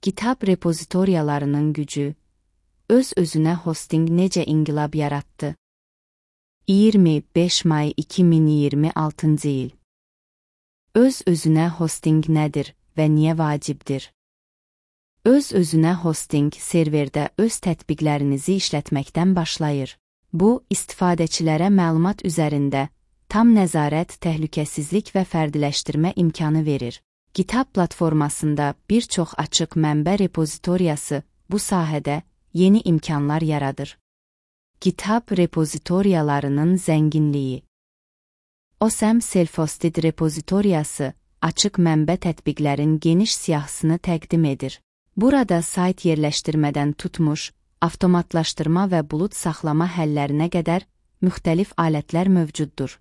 GitHub repozitoriyalarının gücü, öz-özünə hosting necə inqilab yaratdı? 25 may 2026 il. Öz-özünə hosting nədir və niyə vacibdir? Öz-özünə hosting serverdə öz tətbiqlərinizi işlətməkdən başlayır. Bu, istifadəçilərə məlumat üzərində tam nəzarət, təhlükəsizlik və fərdiləşdirmə imkanı verir. GitHub platformasında bir çox açıq mənbə repozitoriyası bu sahədə yeni imkanlar yaradır. GitHub repozitoriyalarının zənginliyi. OSM Self-Hosted repozitoriyası açıq mənbə tətbiqlərin geniş siyahısını təqdim edir. Burada sayt yerləşdirmədən tutmuş, avtomatlaşdırma və bulut saxlama həllərinə qədər müxtəlif alətlər mövcuddur.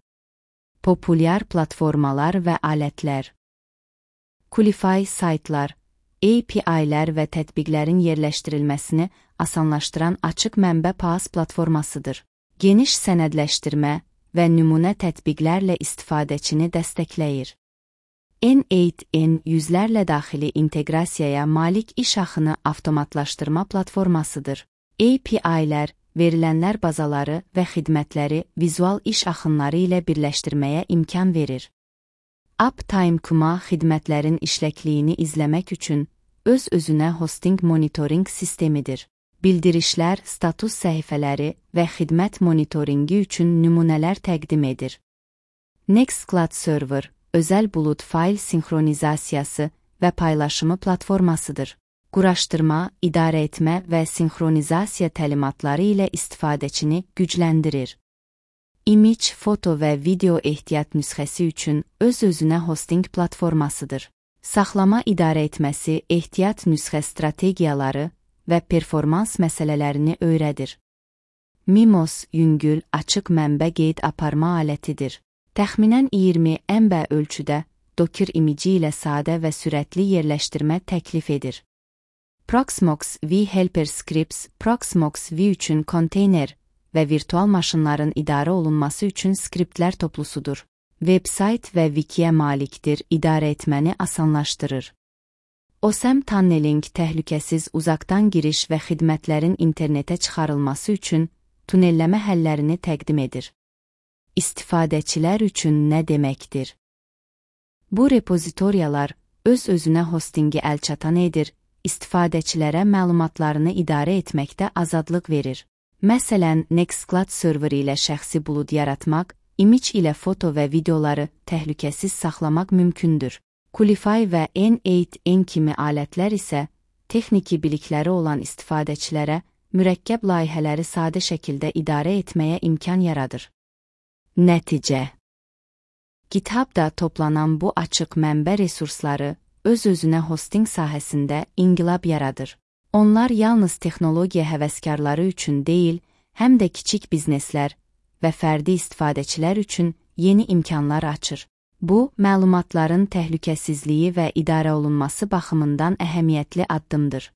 Populyar platformalar və alətlər. Qlify saytlar, API-lər və tətbiqlərin yerləşdirilməsini asanlaşdıran açıq mənbə PaaS platformasıdır. Geniş sənədləşdirmə və nümunə tətbiqlərlə istifadəçini dəstəkləyir. N8N yüzlərlə daxili inteqrasiyaya malik iş axını avtomatlaşdırma platformasıdır. API-lər, verilənlər bazaları və xidmətləri vizual iş axınları ilə birləşdirməyə imkan verir. Uptime.com xidmətlərin işləkliyini izləmək üçün öz-özünə hosting monitoring sistemidir. Bildirişlər, status səhifələri və xidmət monitoringi üçün nümunələr təqdim edir. Nextcloud Server, özəl bulud fayl sinxronizasiyası və paylaşımı platformasıdır. Quraşdırma, idarə etmə və sinxronizasiya təlimatları ilə istifadəçini gücləndirir. Image, foto və video ehtiyat nüsxəsi üçün öz-özünə hosting platformasıdır. Saxlama idarə etməsi, ehtiyat nüsxə strategiyaları və performans məsələlərini öyrədir. Mimos, yüngül, açıq mənbə qeyd aparma alətidir. Təxminən 20 MB ölçüdə Docker imici ilə sadə və sürətli yerləşdirmə təklif edir. Proxmox vHelper Scripts, Proxmox v üçün konteyner və virtual maşınların idarə olunması üçün skriptlər toplusudur. Websayt və wikiyə malikdir, idarə etməni asanlaşdırır. OSM Tunneling təhlükəsiz uzaqdan giriş və xidmətlərin internetə çıxarılması üçün tunelləmə həllərini təqdim edir. İstifadəçilər üçün nə deməkdir? Bu repozitoriyalar öz-özünə hostingi əlçatan edir, istifadəçilərə məlumatlarını idarə etməkdə azadlıq verir. Məsələn, Nextcloud server ilə şəxsi bulud yaratmaq, image ilə foto və videoları təhlükəsiz saxlamaq mümkündür. Qlify və N8N kimi alətlər isə texniki bilikləri olan istifadəçilərə mürəkkəb layihələri sadə şəkildə idarə etməyə imkan yaradır. Nəticə. GitHub-da toplanan bu açıq mənbə resursları öz-özünə hosting sahəsində inqilab yaradır. Onlar yalnız texnologiya həvəskarları üçün deyil, həm də kiçik bizneslər və fərdi istifadəçilər üçün yeni imkanlar açır. Bu, məlumatların təhlükəsizliyi və idarə olunması baxımından əhəmiyyətli addımdır.